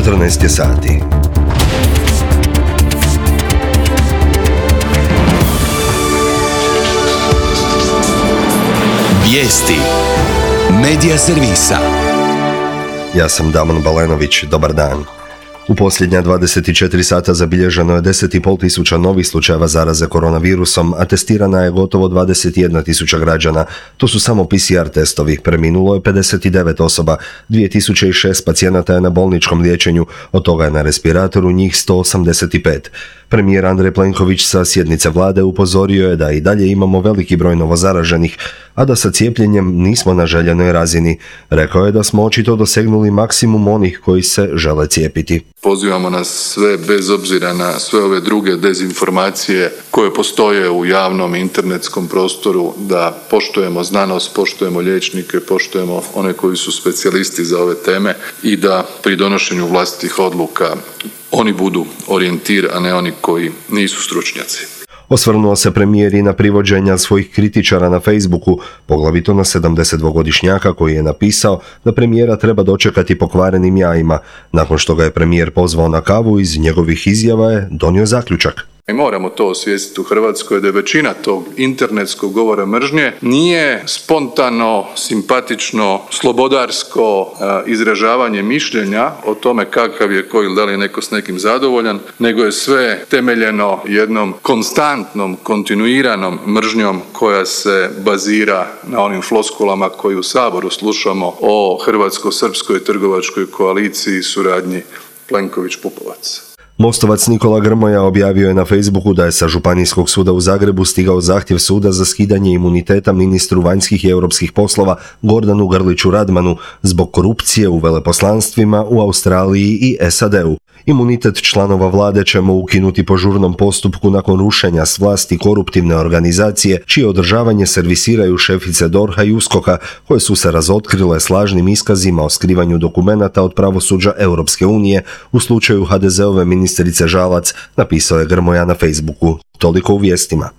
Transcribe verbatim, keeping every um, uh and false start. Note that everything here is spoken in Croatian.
četrnaest sati. Vijesti Medija servisa. Ja sam Damon Balenović, dobar dan. U posljednja dvadeset četiri sata zabilježeno je deset i pol tisuća novih slučajeva zaraze koronavirusom, a testirana je gotovo dvadeset jedna tisuća građana. To su samo P C R testovi. Preminulo je pedeset devet osoba, dvije tisuće šest pacijenata je na bolničkom liječenju, od toga je na respiratoru njih sto osamdeset pet. Premijer Andrej Plenković sa sjednice vlade upozorio je da i dalje imamo veliki broj novozaraženih, a da sa cijepljenjem nismo na željenoj razini. Rekao je da smo očito dosegnuli maksimum onih koji se žele cijepiti. Pozivamo nas sve, bez obzira na sve ove druge dezinformacije koje postoje u javnom internetskom prostoru, da poštujemo znanost, poštujemo liječnike, poštujemo one koji su specijalisti za ove teme i da pri donošenju vlastitih odluka oni budu orijentir, a ne oni koji nisu stručnjaci. Osvrnuo se premijer i na privođenja svojih kritičara na Facebooku, poglavito na sedamdesetdvogodišnjaka koji je napisao da premijera treba dočekati pokvarenim jajima. Nakon što ga je premijer pozvao na kavu, iz njegovih izjava je donio zaključak. I moramo to osvijestiti u Hrvatskoj, da je većina tog internetskog govora mržnje nije spontano, simpatično, slobodarsko uh, izražavanje mišljenja o tome kakav je ko ili da li je neko s nekim zadovoljan, nego je sve temeljeno jednom konstantnom, kontinuiranom mržnjom koja se bazira na onim floskulama koji u Saboru slušamo o hrvatsko-srpskoj trgovačkoj koaliciji i suradnji Plenković-Pupovac. Mostovac Nikola Grmoja objavio je na Facebooku da je sa Županijskog suda u Zagrebu stigao zahtjev suda za skidanje imuniteta ministru vanjskih i europskih poslova Gordanu Grliću Radmanu zbog korupcije u veleposlanstvima u Australiji i S A D-u. Imunitet članova vlade ćemo ukinuti po žurnom postupku nakon rušenja s vlasti koruptivne organizacije čije održavanje servisiraju šefice D O R H-a i U S K O K-a koje su se razotkrile s lažnim iskazima o skrivanju dokumenata od pravosuđa Europske unije u slučaju H D Z-ove ministrice Žalac, napisao je Grmoja na Facebooku. Toliko u vijestima.